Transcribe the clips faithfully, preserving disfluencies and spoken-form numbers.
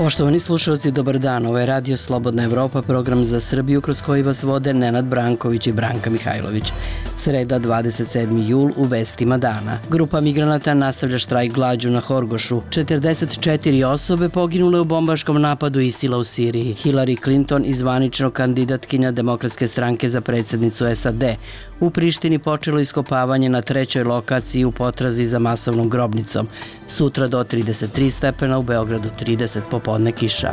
Poštovani slušalci, dobar dan. Ovo je Radio Slobodna Evropa, program za Srbiju kroz koji vas vode Nenad Branković i Branka Mihajlović. Sreda, dvadeset sedmi jul, u vestima dana. Grupa migranata nastavlja štrajk glađu na Horgošu. četrdeset četiri osobe poginule u bombaškom napadu ISIL-a u Siriji. Hillary Clinton i zvanično kandidatkinja Demokratske stranke za predsjednicu S A D. U Prištini počelo iskopavanje na trećoj lokaciji u potrazi za masovnom grobnicom. Sutra do trideset tri stepena, u Beogradu trideset, popodne kiša.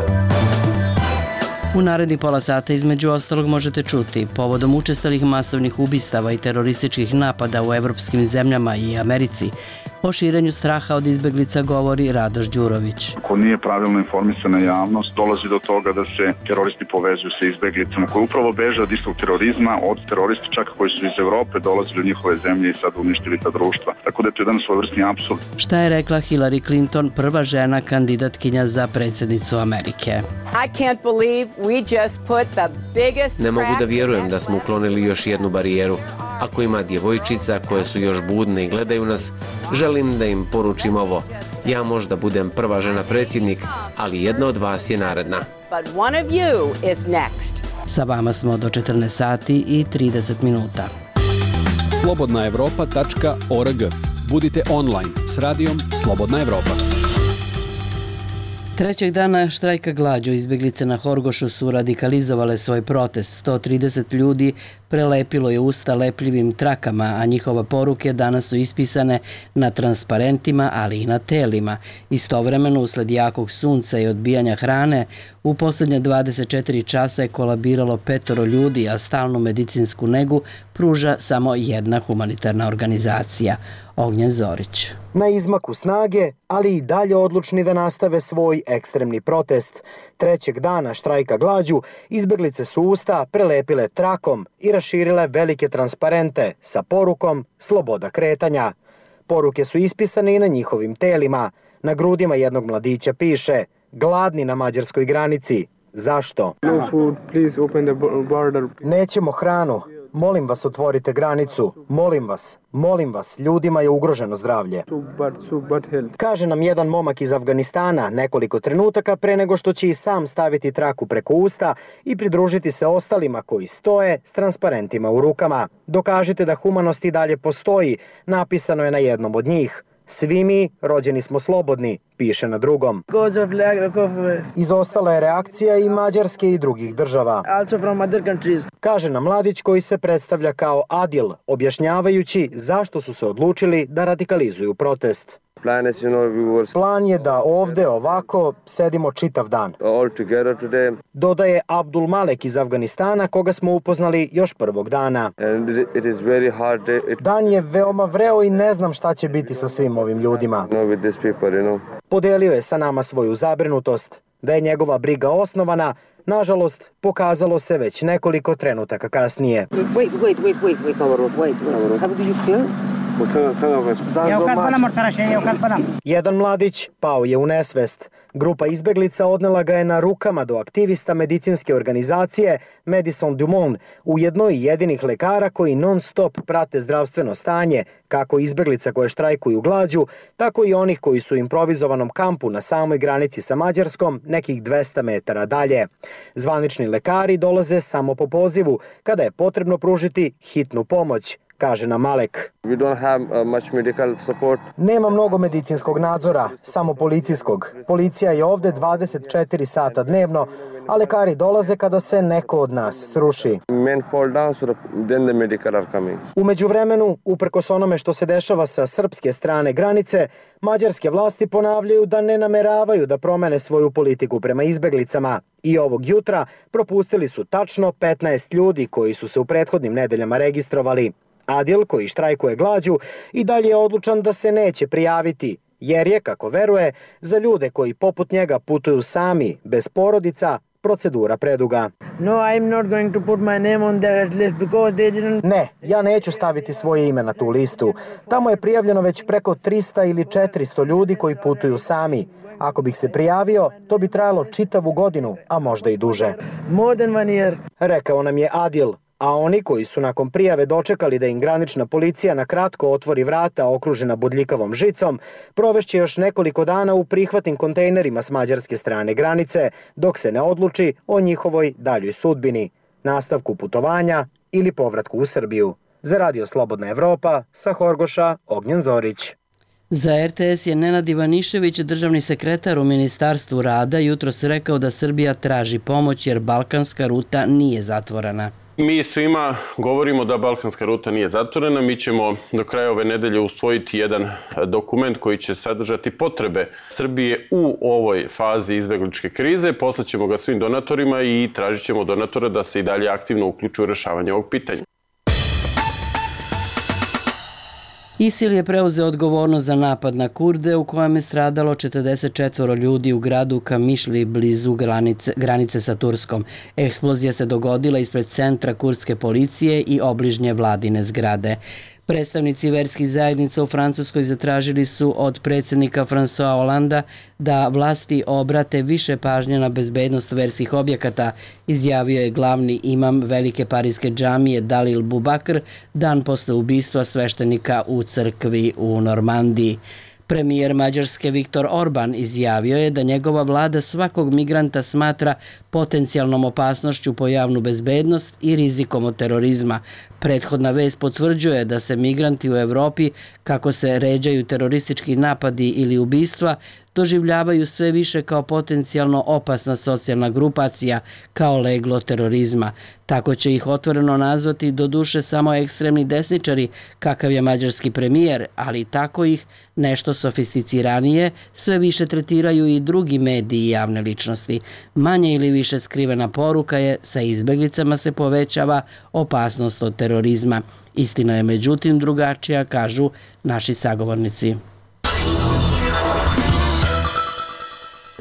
U naredni pola sata između ostalog možete čuti: povodom učestalih masovnih ubistava i terorističkih napada u evropskim zemljama i Americi, o širenju straha od izbeglica govori Radoš Đurović. Ako nije pravilno informisana javnost, dolazi do toga da se teroristi povezuju sa izbeglicama koji upravo beže od istog terorizma, od terorista čak koji su iz Evrope dolazili u njihove zemlje i sad uništili ta društva. Tako da je to jedan svojevrsni apsurd. Šta je rekla Hillary Clinton, prva žena kandidatkinja za predsjednicu Amerike? Ne mogu da vjerujem da smo uklonili još jednu barijeru. Ako ima djevojčica koje su još budne i gledaju nas, želim da im poručim ovo. Ja možda budem prva žena predsjednik, ali jedna od vas je naredna. Sa vama smo do četrnaest sati i trideset minuta. slobodna evropa tačka org. Budite online s radijom Slobodna Evropa. Trećeg dana štrajka glađu izbjeglice na Horgošu su radikalizovale svoj protest. sto trideset ljudi prelepilo je usta lepljivim trakama, a njihove poruke danas su ispisane na transparentima, ali i na telima. Istovremeno, usled jakog sunca i odbijanja hrane, u posljednje dvadeset četiri časa je kolabiralo petoro ljudi, a stalnu medicinsku negu pruža samo jedna humanitarna organizacija. Ognjen Zorić. Na izmaku snage, ali i dalje odlučni da nastave svoj ekstremni protest. Trećeg dana štrajka glađu izbeglice su usta prelepile trakom i raširile velike transparente sa porukom sloboda kretanja. Poruke su ispisane i na njihovim telima. Na grudima jednog mladića piše: gladni na mađarskoj granici. Zašto? No food, please open the border. Nećemo hranu. Molim vas, otvorite granicu. Molim vas, molim vas, ljudima je ugroženo zdravlje. Kaže nam jedan momak iz Afganistana nekoliko trenutaka pre nego što će i sam staviti traku preko usta i pridružiti se ostalima koji stoje s transparentima u rukama. Dokažite da humanost i dalje postoji, napisano je na jednom od njih. Svi mi rođeni smo slobodni, piše na drugom. Izostala je reakcija i Mađarske i drugih država. Kaže nam mladić koji se predstavlja kao Adil, objašnjavajući zašto su se odlučili da radikalizuju protest. Plan je da ovde ovako sedimo čitav dan. Dodaje Abdul Malek iz Afganistana, koga smo upoznali još prvog dana. Dan je veoma vreo i ne znam šta će biti sa svim ovim ljudima. Podelio je sa nama svoju zabrinutost. Da je njegova briga osnovana, nažalost, pokazalo se već nekoliko trenutaka kasnije. Wait, wait, wait, wait, wait, wait, wait, wait. How do you feel? Jedan mladić pao je u nesvest. Grupa izbeglica odnela ga je na rukama do aktivista medicinske organizacije Médecins du Monde, ujedno i jedinih lekara koji non stop prate zdravstveno stanje, kako izbeglica koje štrajkuju glađu, tako i onih koji su u improvizovanom kampu na samoj granici sa Mađarskom, nekih dvesta metara dalje. Zvanični lekari dolaze samo po pozivu, kada je potrebno pružiti hitnu pomoć, kaže nam Malek. Nema mnogo medicinskog nadzora, samo policijskog. Policija je ovde dvadeset četiri sata dnevno, a lekari dolaze kada se neko od nas sruši. U međuvremenu, uprkos onome što se dešava sa srpske strane granice, mađarske vlasti ponavljaju da ne nameravaju da promene svoju politiku prema izbeglicama. I ovog jutra propustili su tačno petnaest ljudi koji su se u prethodnim nedeljama registrovali. Adil, koji štrajkuje glađu, i dalje je odlučan da se neće prijaviti, jer je, kako veruje, za ljude koji poput njega putuju sami, bez porodica, procedura preduga. Ne, ja neću staviti svoje ime na tu listu. Tamo je prijavljeno već preko trista ili četiristo ljudi koji putuju sami. Ako bih se prijavio, to bi trajalo čitavu godinu, a možda i duže. Rekao nam je Adil. a oni koji su nakon prijave dočekali da im granična policija na kratko otvori vrata okružena bodljikavom žicom, provešće još nekoliko dana u prihvatnim kontejnerima s mađarske strane granice, dok se ne odluči o njihovoj daljoj sudbini, nastavku putovanja ili povratku u Srbiju. Za Radio Slobodna Evropa, sa Horgoša, Ognjen Zorić. Za R T S je Nenad Ivanišević, državni sekretar u Ministarstvu rada, jutros rekao da Srbija traži pomoć jer balkanska ruta nije zatvorena. Mi svima govorimo da balkanska ruta nije zatvorena. Mi ćemo do kraja ove nedelje usvojiti jedan dokument koji će sadržati potrebe Srbije u ovoj fazi izbegličke krize. Poslaćemo ga svim donatorima i tražit ćemo donatora da se i dalje aktivno uključuju u rešavanje ovog pitanja. ISIL je preuzeo odgovornost za napad na Kurde u kojem je stradalo četrdeset četvoro ljudi u gradu Kamišli blizu granice, granice sa Turskom. Eksplozija se dogodila ispred centra kurdske policije i obližnje vladine zgrade. Predstavnici verskih zajednica u Francuskoj zatražili su od predsjednika François Hollanda da vlasti obrate više pažnje na bezbednost verskih objekata, izjavio je glavni imam velike parijske džamije Dalil Bubakr dan posle ubistva sveštenika u crkvi u Normandiji. Premijer Mađarske Viktor Orban izjavio je da njegova vlada svakog migranta smatra potencijalnom opasnošću po javnu bezbednost i rizikom od terorizma. Prethodna vest potvrđuje da se migranti u Evropi, kako se ređaju teroristički napadi ili ubistva, doživljavaju sve više kao potencijalno opasna socijalna grupacija, kao leglo terorizma. Tako će ih otvoreno nazvati doduše samo ekstremni desničari, kakav je mađarski premijer, ali tako ih nešto sofisticiranije sve više tretiraju i drugi mediji i javne ličnosti. Manje ili više skrivena poruka je sa izbeglicama se povećava opasnost od terorizma. Istina je međutim drugačija, kažu naši sagovornici.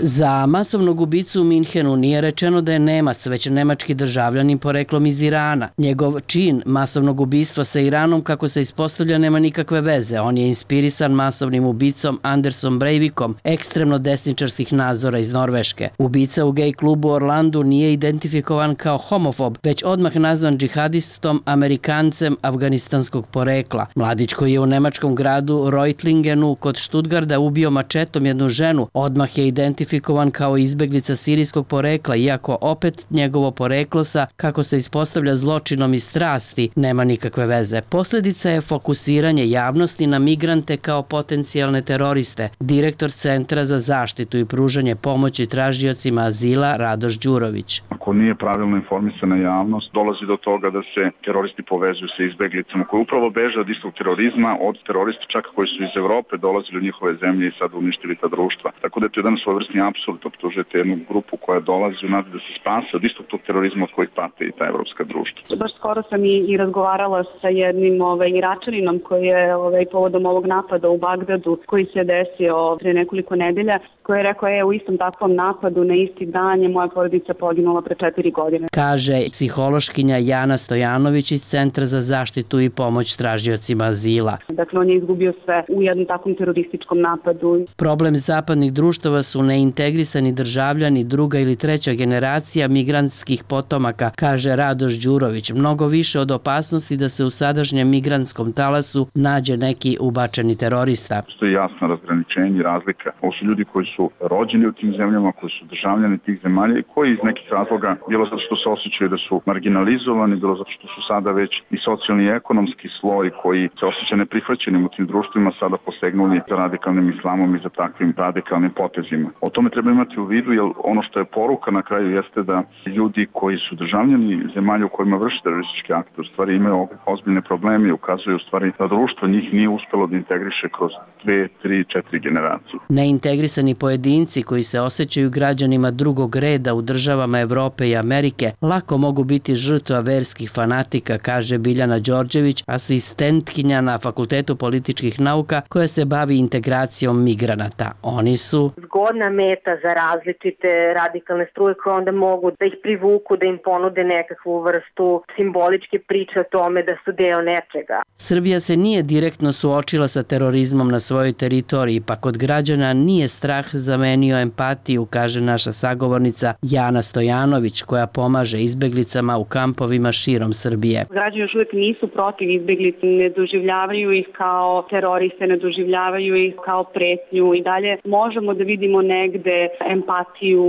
Za masovnog ubicu u Minhenu nije rečeno da je Nemac, već nemački državljanin poreklom iz Irana. Njegov čin masovnog ubistva sa Iranom, kako se ispostavlja, nema nikakve veze. On je inspirisan masovnim ubicom Andersom Breivikom, ekstremno desničarskih nazora iz Norveške. Ubica u gej klubu u Orlandu nije identifikovan kao homofob, već odmah nazvan džihadistom Amerikancem afganistanskog porekla. Mladić koji je u nemačkom gradu Reutlingenu kod Stuttgarta ubio mačetom jednu ženu, odmah je identifikovan kao izbeglica sirijskog porekla, iako opet njegovo poreklo sa, kako se ispostavlja, zločinom i strasti nema nikakve veze. Posljedica je fokusiranje javnosti na migrante kao potencijalne teroriste. Direktor Centra za zaštitu i pružanje pomoći tražiocima azila Radoš Đurović. Ako nije pravilno informisana javnost, dolazi do toga da se teroristi povezuju sa izbeglicama koji upravo beže od istog terorizma, od terorista čak koji su iz Evrope dolazili u njihove zemlje i sad uništili ta društva. Tako da je to jedan svojevrsni apsurd, optužujete jednu grupu koja dolazi u nadi da se spase od istog tog terorizma od kojih pate i ta evropska društva. Baš skoro sam i, i razgovarala sa jednim ovaj, Iračaninom koji je ovaj, povodom ovog napada u Bagdadu koji se desio pre nekoliko nedelja, koji je rekao je u istom takvom napadu na isti dan je moja porodica poginula pre četiri godine. Kaže psihološkinja Jana Stojanović iz Centra za zaštitu i pomoć tražiocima azila. Dakle, on je izgubio sve u jednom takvom terorističkom napadu. Problem zapadnih društava su neintegrisani državljani druga ili treća generacija migrantskih potomaka, kaže Radoš Đurović. Mnogo više od opasnosti da se u sadašnjem migrantskom talasu nađe neki ubačeni terorista. Postoji jasno razgraničenje i razlika. Ovo su ljudi koji su rođeni u tim zemljama, koji su državljani tih zemalja i koji iz nekih razloga, bilo zato što se osjećaju da su marginalizovani, bilo zato što su sada već i socijalni i ekonomski sloj koji se osjeća neprihvaćenim u tim društvima, sada posegnuli za radikalnim islamom i za takvim radikalnim potezima. O tome treba imati u vidu, jer ono što je poruka na kraju jeste da ljudi koji su državljani zemalja u kojima vrše terorističke akte u stvari imaju ozbiljne probleme i ukazuju u stvari da društvo njih nije uspelo da integriše kroz dve, tri, četiri generacije. Neintegrisani pojedinci koji se osjećaju građanima drugog reda u državama Evrope i Amerike lako mogu biti žrtva verskih fanatika, kaže Biljana Đorđević, asistentkinja na Fakultetu političkih nauka koja se bavi integracijom migranata. Oni su zgodna meta za različite radikalne struje koje onda mogu da ih privuku, da im ponude nekakvu vrstu simboličke priče o tome da su deo nečega. Srbija se nije direktno suočila sa terorizmom na svojoj teritoriji, pa kod građana nije strah zamenio empatiju, kaže naša sagovornica Jana Stojanović, koja pomaže izbeglicama u kampovima širom Srbije. Građani još uvijek nisu protiv izbeglica, ne doživljavaju ih kao teroriste, ne doživljavaju ih kao pretnju i dalje možemo da vidimo negde empatiju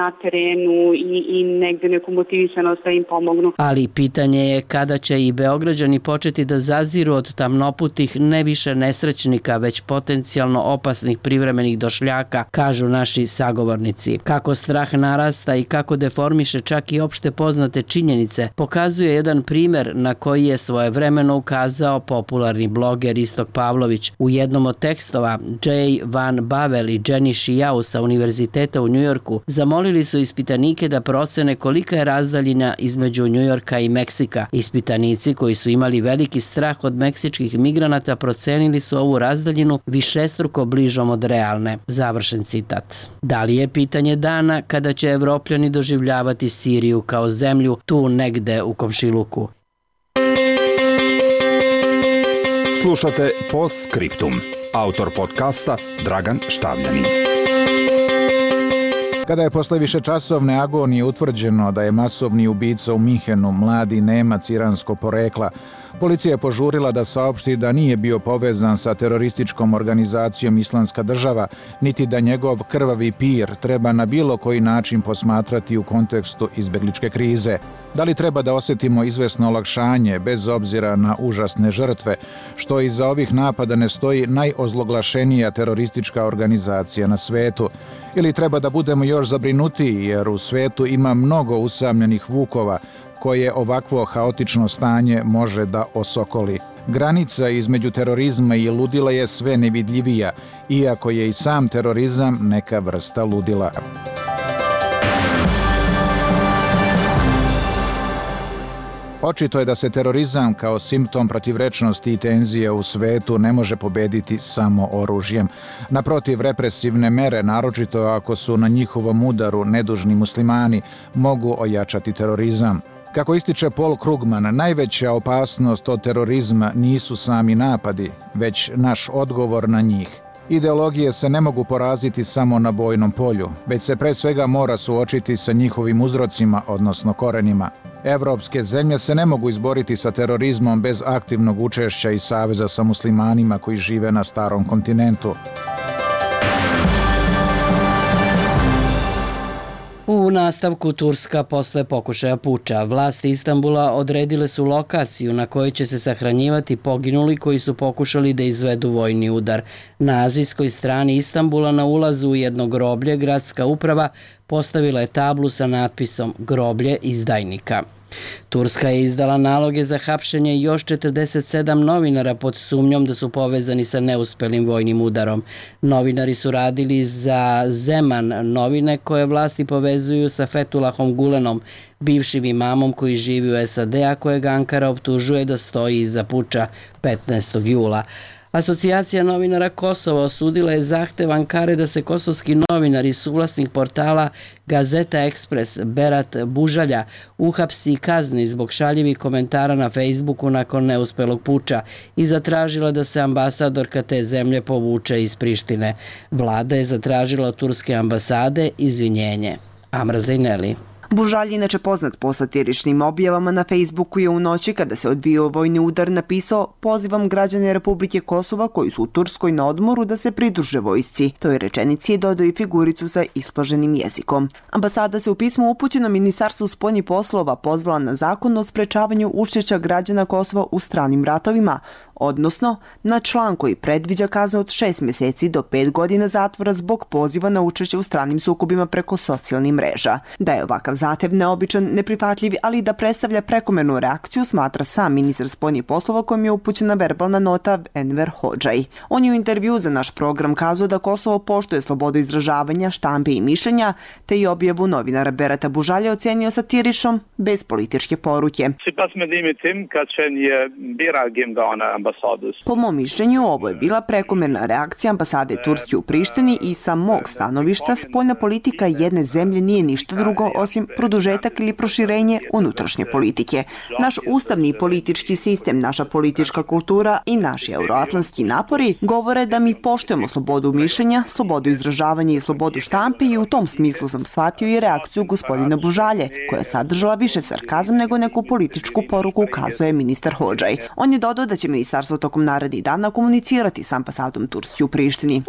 na terenu i, i negde neku motivisanost da im pomognu. Ali pitanje je kada će i Beograđani početi da zaziru od tamnoputih ne više nesrećnika, već potencijalno opasnih privremenih došljaka, kažu naši sagovornici. Kako strah narasta i kako deformiše čak i opšte poznate činjenice, pokazuje jedan primer na koji je svojevremeno ukazao popularni bloger Istok Pavlović. U jednom od tekstova Jay Van Bavel i Jenny Shiao sa Univerziteta u Njujorku zamolili su ispitanike da procene kolika je razdaljina između Njujorka i Meksika. Ispitanici koji su imali veliki strah od meksičkih migranata procenili su ovu razdaljinu višestruko bližom od realne. Završen citat. Da li je pitanje dana kada će Evropljani doživljavati Siriju kao zemlju tu negde u komšiluku? Slušate Postscriptum. Autor podcasta Dragan Štavljanin. Kada je posle višečasovne agonije utvrđeno da je masovni ubica u Minhenu mladi Nemac iranskog porekla, policija je požurila da saopšti da nije bio povezan sa terorističkom organizacijom Islamska država, niti da njegov krvavi pir treba na bilo koji način posmatrati u kontekstu izbegličke krize. Da li treba da osjetimo izvesno olakšanje bez obzira na užasne žrtve, što iza ovih napada ne stoji najozloglašenija teroristička organizacija na svetu? Ili treba da budemo još zabrinutiji jer u svetu ima mnogo usamljenih vukova koje ovakvo haotično stanje može da osokoli. Granica između terorizma i ludila je sve nevidljivija, iako je i sam terorizam neka vrsta ludila. Očito je da se terorizam kao simptom protivrečnosti i tenzije u svetu ne može pobediti samo oružjem. Naprotiv, represivne mere, naročito ako su na njihovom udaru nedužni muslimani, mogu ojačati terorizam. Kako ističe Paul Krugman, najveća opasnost od terorizma nisu sami napadi, već naš odgovor na njih. Ideologije se ne mogu poraziti samo na bojnom polju, već se pre svega mora suočiti sa njihovim uzrocima, odnosno korenima. Evropske zemlje se ne mogu izboriti sa terorizmom bez aktivnog učešća i saveza sa muslimanima koji žive na starom kontinentu. U nastavku Turska posle pokušaja puča. Vlasti Istanbula odredile su lokaciju na kojoj će se sahranjivati poginuli koji su pokušali da izvedu vojni udar. Na azijskoj strani Istanbula na ulazu u jedno groblje gradska uprava postavila je tablu sa natpisom "Groblje izdajnika". Turska je izdala naloge za hapšenje još četrdeset sedam novinara pod sumnjom da su povezani sa neuspelim vojnim udarom. Novinari su radili za Zeman novine koje vlasti povezuju sa Fethullahom Gulenom, bivšim imamom koji živi u S A D, a kojeg Ankara optužuje da stoji iza puča petnaestog jula. Asocijacija novinara Kosova osudila je zahtev Ankare da se kosovski novinar i suvlasnik portala Gazeta Ekspres Berat Bužalja uhapsi i kazni zbog šaljivih komentara na Facebooku nakon neuspelog puča i zatražila da se ambasadorka te zemlje povuče iz Prištine. Vlada je zatražila od turske ambasade izvinjenje. Amra Zajneli. Bužalj, inače poznat po satiričnim objavama na Facebooku, je u noći kada se odvijao vojni udar napisao: "Pozivam građane Republike Kosova koji su u Turskoj na odmoru da se pridruže vojsci." Toj rečenici je dodao i figuricu sa isplaženim jezikom. Ambasada se u pismu upućeno Ministarstvu spoljnih poslova pozvala na zakon o sprečavanju učešća građana Kosova u stranim ratovima, odnosno na član koji predviđa kaznu od šest mjeseci do pet godina zatvora zbog poziva na učešće u stranim sukobima preko socijalnih mreža. Da je ovakav zahtev neobičan, neprihvatljiv, ali da predstavlja prekomernu reakciju, smatra sam ministar spoljnih poslova kojim je upućena verbalna nota Enver Hodžaj. On je u intervju za naš program kazao da Kosovo poštuje slobodu izražavanja, štampe i mišljenja, te i objavu novinara Berata Bužalja ocenio satiričnom bez političke poruke. Sipas mendimet tim, kad qenë një bira gjimgane Po mom mišljenju, ovo je bila prekomerna reakcija ambasade Turske u Prištini i sa mog stanovišta spoljna politika jedne zemlje nije ništa drugo osim produžetak ili proširenje unutrašnje politike. Naš ustavni i politički sistem, naša politička kultura i naši euroatlantski napori govore da mi poštujemo slobodu mišljenja, slobodu izražavanja i slobodu štampe i u tom smislu sam shvatio i reakciju gospodina Bužalje, koja je sadržala više sarkazam nego neku političku poruku, ukazuje ministar Hodžaj. On je dodao da će ministarstvo tokom narednih dana komunicirati s ambasadom Turske u Prištini.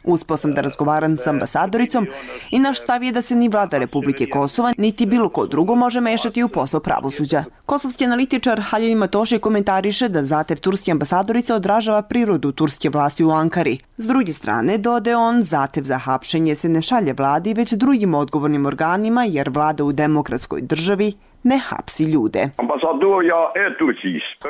Uspeo sam da razgovaram s ambasadoricom i naš stav je da se ni vlada Republike Kosova niti bilo ko drugo može mešati u posao pravosuđa. Kosovski analitičar Halil Matoši komentariše da zahtev turske ambasadorice odražava prirodu turske vlasti u Ankari. S druge strane, dodaje on, zahtev za hapšenje se ne šalje vladi već drugim odgovornim organima jer vlada u demokratskoj državi ne hapsi ljude.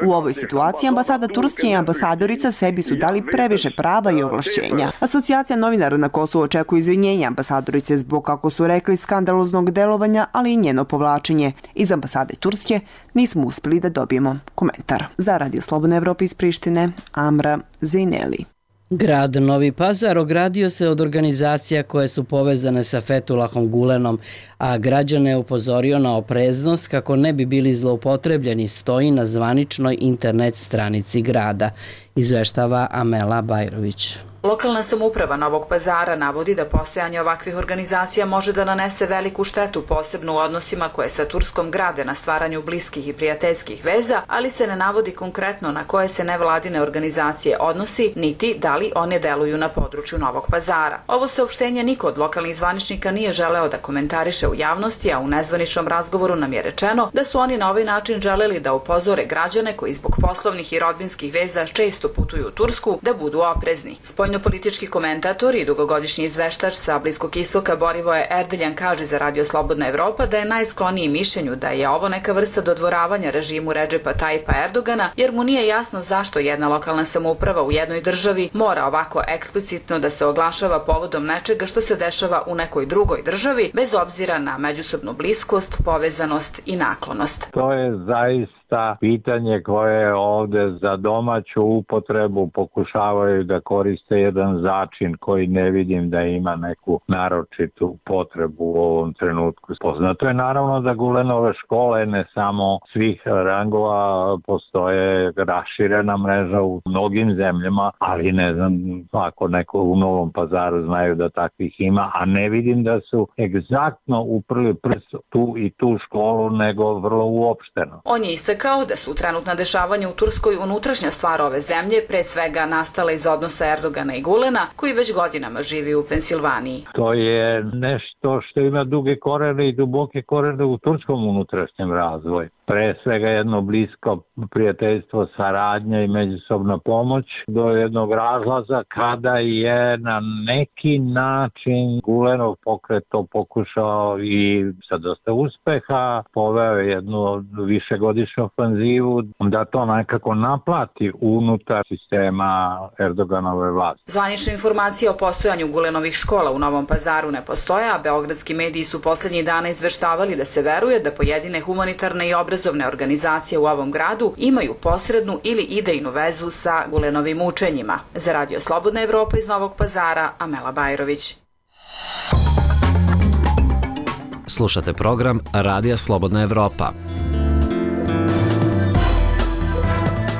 U ovoj situaciji ambasada Turske i ambasadorica sebi su dali previše prava i ovlašćenja. Asocijacija novinara na Kosovu očekuje izvinjenja ambasadorice zbog, kako su rekli, skandaloznog delovanja, ali i njeno povlačenje. Iz ambasade Turske nismo uspeli da dobijemo komentar. Za Radio Slobodna Evropa iz Prištine, Amra Zejneli. Grad Novi Pazar ogradio se od organizacija koje su povezane sa Fetulahom Gulenom, a građane je upozorio na opreznost kako ne bi bili zloupotrebljeni, stoji na zvaničnoj internet stranici grada, izveštava Amela Bajrović. Lokalna samouprava Novog Pazara navodi da postojanje ovakvih organizacija može da nanese veliku štetu, posebno u odnosima koje sa Turskom grade na stvaranju bliskih i prijateljskih veza, ali se ne navodi konkretno na koje se nevladine organizacije odnosi, niti da li one deluju na području Novog Pazara. Ovo saopštenje niko od lokalnih zvaničnika nije želeo da komentariše u javnosti, a u nezvaničnom razgovoru nam je rečeno da su oni na ovaj način želeli da upozore građane koji zbog poslovnih i rodbinskih veza često putuju u Tursku da budu oprezni. Politički komentator i dugogodišnji izveštač sa Bliskog istoka Borivoje Erdeljan kaže za Radio Slobodna Evropa da je najskloniji mišljenju da je ovo neka vrsta dodvoravanja režimu Redžepa Tajipa Erdogana, jer mu nije jasno zašto jedna lokalna samouprava u jednoj državi mora ovako eksplicitno da se oglašava povodom nečega što se dešava u nekoj drugoj državi, bez obzira na međusobnu bliskost, povezanost i naklonost. To je zaista pitanje koje ovde za domaću upotrebu pokušavaju da koriste jedan začin koji ne vidim da ima neku naročitu potrebu u ovom trenutku. Poznato je naravno da Gulenove škole ne samo svih rangova, postoje raširena mreža u mnogim zemljama, ali ne znam ako neko u Novom Pazaru znaju da takvih ima, a ne vidim da su egzaktno uprli prst tu i tu školu, nego vrlo uopšteno. On je istakao da su trenutna dešavanja u Turskoj unutrašnja stvar ove zemlje, pre svega nastala iz odnosa Erdogana i Gulena, koji već godinama živi u Pensilvaniji. To je nešto što ima duge korene i duboke korene u turskom unutrašnjem razvoju. Pre svega jedno blisko prijateljstvo, saradnja i međusobna pomoć do jednog razlaza kada je na neki način Gulenov pokret to pokušao i sa dosta uspeha, poveo jednu višegodišnju ofanzivu da to nekako naplati unutar sistema Erdoganove vlasti. Zvanične informacije o postojanju Gulenovih škola u Novom Pazaru ne postoje, a beogradski mediji su poslednjih dana izveštavali da se veruje da pojedine humanitarne i obrazovne organizacije u ovom gradu imaju posrednu ili idejnu vezu sa Gulenovim učenjima. Za Radio Slobodna Evropa iz Novog Pazara, Amela Bajrović. Slušate program Radija Slobodna Evropa.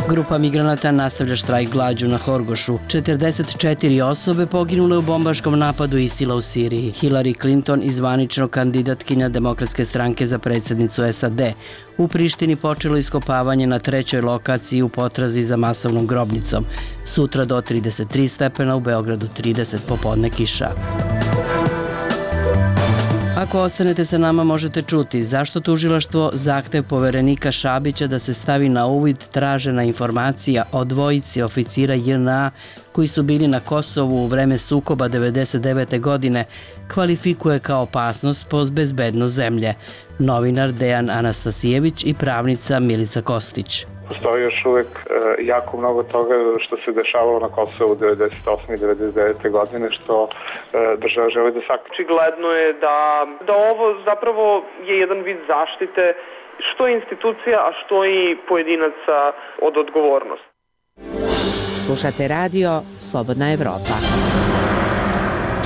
Grupa migranata nastavlja štrajk glađu na Horgošu. četrdeset četiri osobe poginule u bombaškom napadu ISIL-a u Siriji. Hillary Clinton, izvanično kandidatkinja Demokratske stranke za predsjednicu S A D, u Prištini počelo iskopavanje na trećoj lokaciji u potrazi za masovnom grobnicom. Sutra do trideset tri stepena, u Beogradu trideset, popodne kiša. Ako ostanete sa nama možete čuti zašto tužilaštvo zahtev poverenika Šabića da se stavi na uvid tražena informacija o dvojici oficira J N A koji su bili na Kosovu u vreme sukoba devedeset devete. godine kvalifikuje kao opasnost po bezbednost zemlje. Novinar Dejan Anastasijević i pravnica Milica Kostić. Postoji još uvek e, jako mnogo toga što se dešavalo na Kosovu devedeset osme i devedeset devete. godine što e, država želi da sakrije. Očigledno je da, da ovo zapravo je jedan vid zaštite što institucija, a što i pojedinaca od odgovornosti. Slušate radio Slobodna Evropa.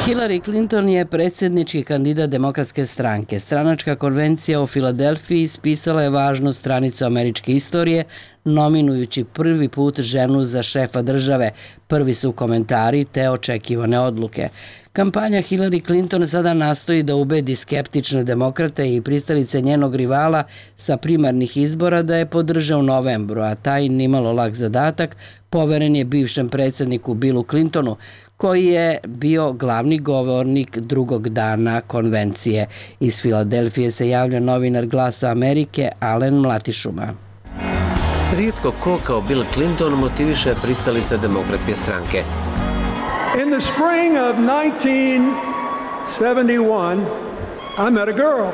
Hillary Clinton je predsjednički kandidat Demokratske stranke. Stranačka konvencija u Filadelfiji ispisala je važnu stranicu američke istorije, nominujući prvi put ženu za šefa države. Prvi su komentari te očekivane odluke. Kampanja Hillary Clinton sada nastoji da ubedi skeptične demokrate i pristalice njenog rivala sa primarnih izbora da je podrže u novembru, a taj nimalo lak zadatak poveren je bivšem predsjedniku Billu Clintonu, koji je bio glavni govornik drugog dana konvencije. Iz Filadelfije se javlja novinar Glasa Amerike Alen Mlatišuma. Rijetko ko kao Bill Clinton motiviše pristalice Demokratske stranke. In the spring of nineteen seventy-one, I met a girl.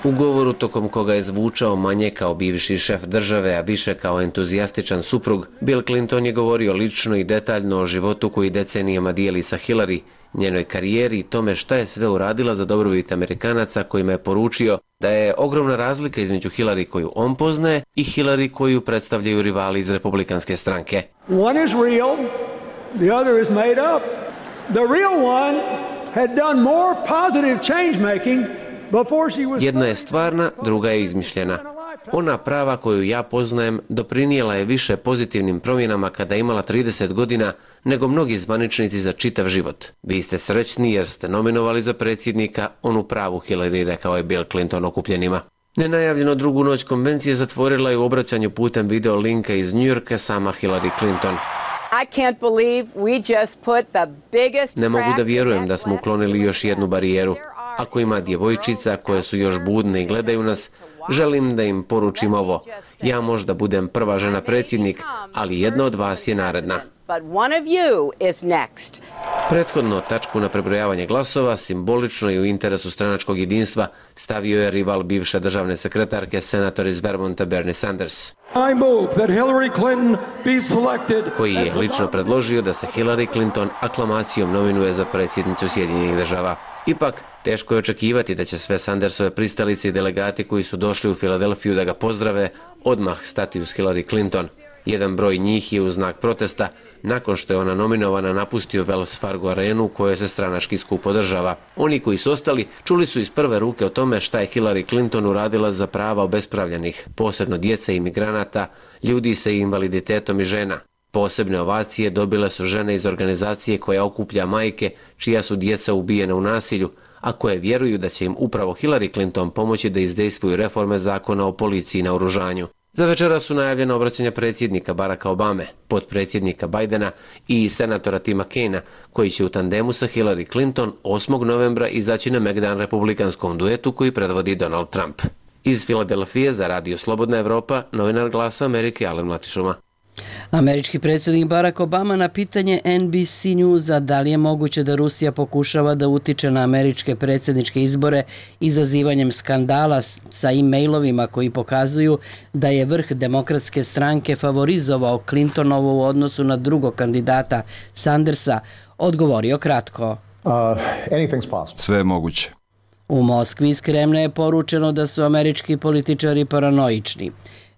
U govoru tokom koga je zvučao manje kao bivši šef države, a više kao entuzijastičan suprug, Bill Clinton je govorio lično i detaljno o životu koji decenijama dijeli sa Hillary, njenoj karijeri i tome šta je sve uradila za dobrobit Amerikanaca, kojima je poručio da je ogromna razlika između Hillary koju on poznaje i Hillary koju predstavljaju rivali iz Republikanske stranke. One is real, the other is made up. The real one had done more positive change making. Jedna je stvarna, druga je izmišljena. Ona prava koju ja poznajem doprinijela je više pozitivnim promjenama kada je imala trideset godina nego mnogi zvaničnici za čitav život. Vi ste srećni jer ste nominovali za predsjednika onu pravu Hillary, rekao je Bill Clinton okupljenima. Nenajavljeno drugu noć konvencije zatvorila je u obraćanju putem video linka iz Njujorka sama Hillary Clinton. Ne mogu da vjerujem da smo uklonili još jednu barijeru. Ako ima djevojčica koje su još budne i gledaju nas, želim da im poručim ovo. Ja možda budem prva žena predsjednik, ali jedna od vas je naredna. Prethodno tačku na prebrojavanje glasova, simbolično i u interesu stranačkog jedinstva, stavio je rival bivše državne sekretarke, senator iz Vermonta Bernie Sanders, koji je lično predložio da se Hillary Clinton aklamacijom nominuje za predsjednicu Sjedinjenih država. Ipak, teško je očekivati da će sve Sandersove pristalice i delegati koji su došli u Filadelfiju da ga pozdrave odmah stati uz Hillary Clinton. Jedan broj njih je u znak protesta nakon što je ona nominovana napustio Wells Fargo arenu u kojoj se stranački skup održava. Oni koji su ostali čuli su iz prve ruke o tome šta je Hillary Clinton uradila za prava obespravljenih, posebno djece i migranata, ljudi sa invaliditetom i žena. Posebne ovacije dobile su žene iz organizacije koja okuplja majke čija su djeca ubijena u nasilju, a koje vjeruju da će im upravo Hillary Clinton pomoći da izdejstvuju reforme zakona o policiji i naoružanju. Za večera su najavljena obraćanja predsjednika Baracka Obame, potpredsjednika Bidena i senatora Tima Kaina, koji će u tandemu sa Hillary Clinton osmog novembra izaći na megdan republikanskom duetu koji predvodi Donald Trump. Iz Filadelfije za Radio Slobodna Evropa, novinar Glasa Amerike Alen Mlatišuma. Američki predsjednik Barack Obama na pitanje N B C Newsa da li je moguće da Rusija pokušava da utiče na američke predsjedničke izbore izazivanjem skandala sa e-mailovima koji pokazuju da je vrh Demokratske stranke favorizovao Clintonovu u odnosu na drugog kandidata Sandersa, odgovorio kratko. Sve je moguće. U Moskvi iz Kremlja je poručeno da su američki političari paranoični.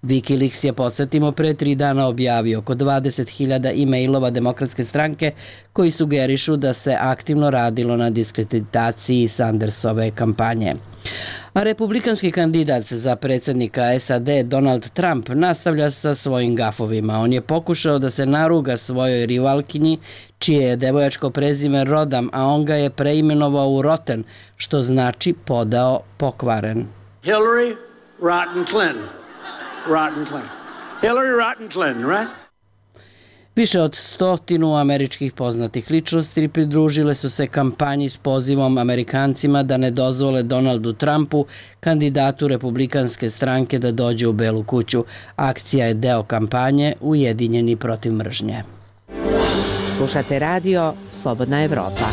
Wikileaks je, podsjetimo, pre tri dana objavio oko dvadeset hiljada e-mailova Demokratske stranke koji sugerišu da se aktivno radilo na diskreditaciji Sandersove kampanje. A republikanski kandidat za predsjednika S A D Donald Trump nastavlja sa svojim gafovima. On je pokušao da se naruga svojoj rivalkinji, čije je devojačko prezime Rodham, a on ga je preimenovao u Rotten, što znači podao pokvaren. Hillary Rotten Clinton. Rotten Clinton. Hillary Rotten Clinton, right? Više od stotinu američkih poznatih ličnosti pridružile su se kampanji s pozivom Amerikancima da ne dozvole Donaldu Trumpu, kandidatu republikanske stranke, da dođe u Belu kuću. Akcija je deo kampanje Ujedinjeni protiv mržnje. Slušate radio Slobodna Evropa.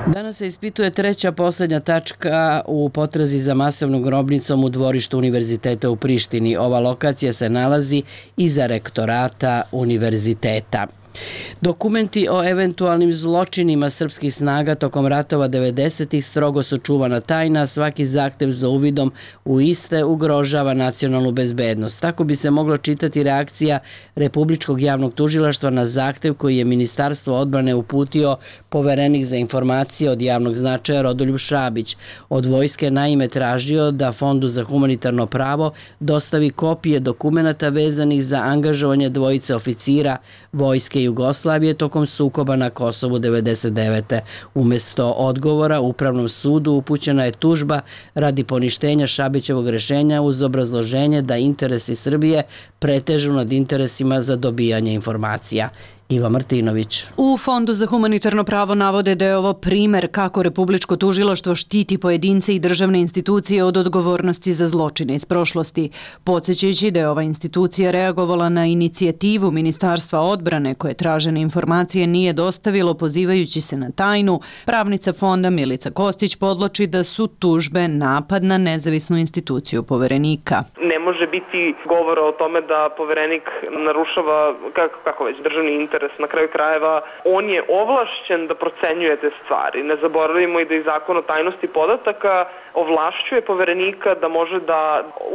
Danas se ispituje treća posljednja tačka u potrazi za masovnom grobnicom u dvorištu univerziteta u Prištini. Ova lokacija se nalazi iza rektorata univerziteta. Dokumenti o eventualnim zločinima srpskih snaga tokom ratova devedesetih strogo su čuvana tajna, svaki zahtev za uvidom u iste ugrožava nacionalnu bezbednost. Tako bi se moglo čitati reakcija Republičkog javnog tužilaštva na zahtev koji je Ministarstvo odbrane uputio poverenik za informacije od javnog značaja Rodoljub Šabić. Od vojske naime tražio da Fondu za humanitarno pravo dostavi kopije dokumenata vezanih za angažovanje dvojice oficira Vojske Jugoslavije tokom sukoba na Kosovu devedeset devete. Umesto odgovora Upravnom sudu upućena je tužba radi poništenja Šabićevog rešenja uz obrazloženje da interesi Srbije pretežu nad interesima za dobijanje informacija. Iva Martinović. U Fondu za humanitarno pravo navode da je ovo primer kako Republičko tužilaštvo štiti pojedince i državne institucije od odgovornosti za zločine iz prošlosti. Podsjećajući da je ova institucija reagovala na inicijativu Ministarstva odbrane koje tražene informacije nije dostavilo pozivajući se na tajnu, pravnica fonda Milica Kostić podloči da su tužbe napad na nezavisnu instituciju poverenika. Ne može biti govora o tome da poverenik narušava kako, kako već državni interes. Na kraju krajeva, on je ovlašćen da procenjuje te stvari. Ne zaboravimo i da i zakon o tajnosti podataka ovlašćuje poverenika da može da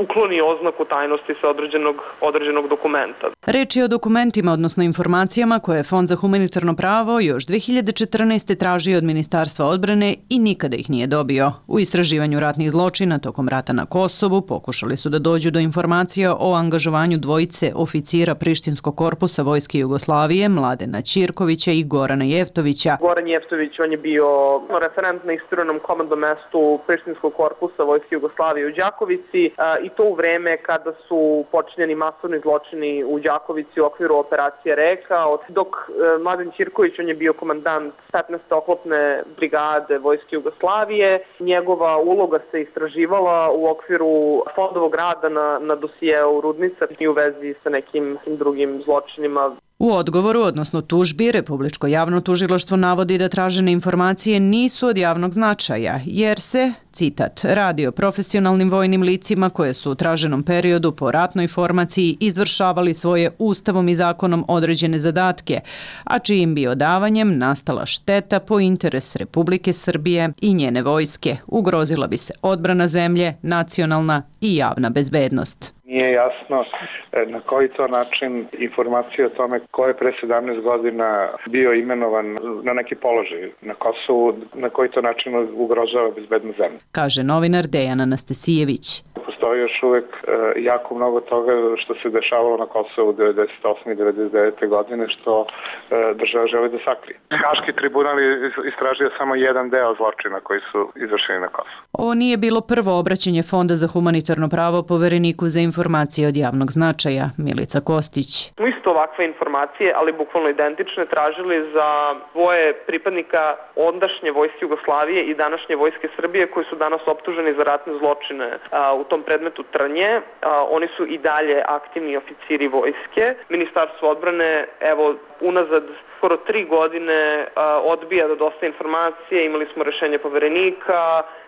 ukloni oznaku tajnosti sa određenog, određenog dokumenta. Reč je o dokumentima, odnosno informacijama koje je Fond za humanitarno pravo još dve hiljade četrnaeste. tražio od Ministarstva odbrane i nikada ih nije dobio. U istraživanju ratnih zločina tokom rata na Kosovu pokušali su da dođu do informacija o angažovanju dvojice oficira Prištinskog korpusa Vojske Jugoslavije, Mladena Ćirkovića i Gorana Jeftovića. Goran Jeftović, on je bio referent na isturenom komandnom mestu Prištinskog korpusa Vojske Jugoslavije u Đakovici i to u vreme kada su počinjeni masovni zločini u Đakovici u okviru operacije Reka, dok Mladen Ćirković, on je bio komandant petnaeste oklopne brigade Vojske Jugoslavije. Njegova uloga se istraživala u okviru fondovog rada na, na dosijeu Rudnica i u vezi sa nekim drugim zločinima. U odgovoru, odnosno tužbi, Republičko javno tužilaštvo navodi da tražene informacije nisu od javnog značaja, jer se, citat, radi o profesionalnim vojnim licima koje su u traženom periodu po ratnoj formaciji izvršavali svoje ustavom i zakonom određene zadatke, a čijim bi odavanjem nastala šteta po interes Republike Srbije i njene vojske. Ugrozila bi se odbrana zemlje, nacionalna i javna bezbednost. Nije jasno na koji to način informacije o tome ko je pre sedamnaest godina bio imenovan na neki položaj na Kosovu, na koji to način ugrožava bezbednost zemlje. Kaže novinar Dejan Anastasijević. Postoji još uvek jako mnogo toga što se dešavalo na Kosovu devedeset osme i devedeset devete. godine što država želi da sakrije. Haški tribunal je istražio samo jedan deo zločina koji su izvršeni na Kosovu. Ovo nije bilo prvo obraćanje Fonda za humanitarno pravo povereniku za informacije od javnog značaja, Milica Kostić. Isto ovakve informacije, ali bukvalno identične, tražili za dvoje pripadnika ondašnje Vojske Jugoslavije i današnje Vojske Srbije koji su danas optuženi za ratne zločine u tom predmetu Trnje. Oni su i dalje aktivni oficiri vojske. Ministarstvo odbrane, evo, unazad skoro tri godine odbija da dostavi informacije, imali smo rešenje poverenika,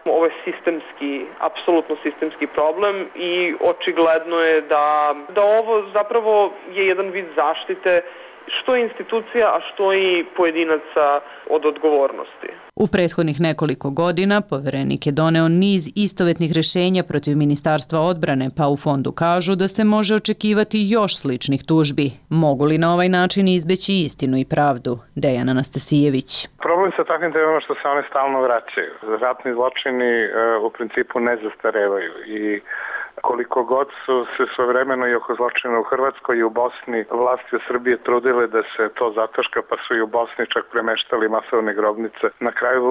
ovo je sistemski, apsolutno sistemski problem i očigledno je da, da ovo zapravo je jedan vid zaštite što institucija, a što i pojedinaca od odgovornosti. U prethodnih nekoliko godina poverenik je doneo niz istovetnih rešenja protiv Ministarstva odbrane, pa u fondu kažu da se može očekivati još sličnih tužbi. Mogu li na ovaj način izbeći istinu i pravdu? Dejan Anastasijević. Problem sa takvim temama što se one stalno vraćaju. Ratni zločini u principu ne zastarevaju i koliko god su se svojevremeno i oko zločina u Hrvatskoj i u Bosni vlasti u Srbije trudile da se to zataška, pa su i u Bosni čak premeštali masovne grobnice. Na kraju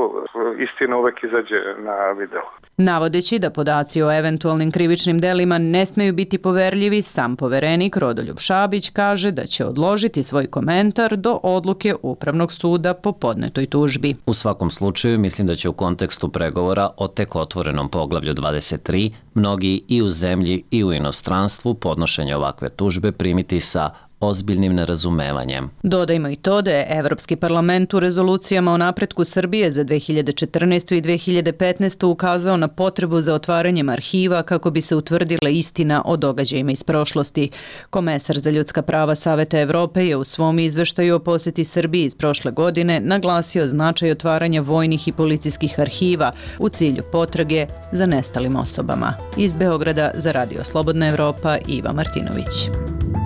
istina uvek izađe na video. Navodeći da podaci o eventualnim krivičnim delima ne smeju biti poverljivi, sam poverenik Rodoljub Šabić kaže da će odložiti svoj komentar do odluke Upravnog suda po podnetoj tužbi. U svakom slučaju, mislim da će u kontekstu pregovora o tek otvorenom poglavlju dvadeset tri mnogi i u zemlji i u inostranstvu podnošenje ovakve tužbe primiti sa ozbiljnim nerazumevanjem. Dodajmo i to da je Evropski parlament u rezolucijama o napretku Srbije za dve hiljade četrnaestu. i dve hiljade petnaestu. ukazao na potrebu za otvaranjem arhiva kako bi se utvrdila istina o događajima iz prošlosti. Komesar za ljudska prava Saveta Evrope je u svom izveštaju o poseti Srbiji iz prošle godine naglasio značaj otvaranja vojnih i policijskih arhiva u cilju potrage za nestalim osobama. Iz Beograda za Radio Slobodna Evropa, Iva Martinović.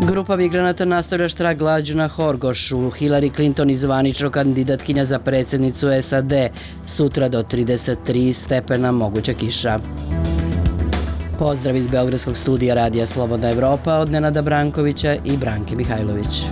Grupa migranata nastavlja štrajk glađu na Horgošu. Hillary Clinton i zvanično kandidatkinja za predsjednicu S A D. Sutra do trideset tri stepena moguća kiša. Pozdrav iz Beogradskog studija Radija Slobodna Evropa od Nenada Brankovića i Branke Mihajlović.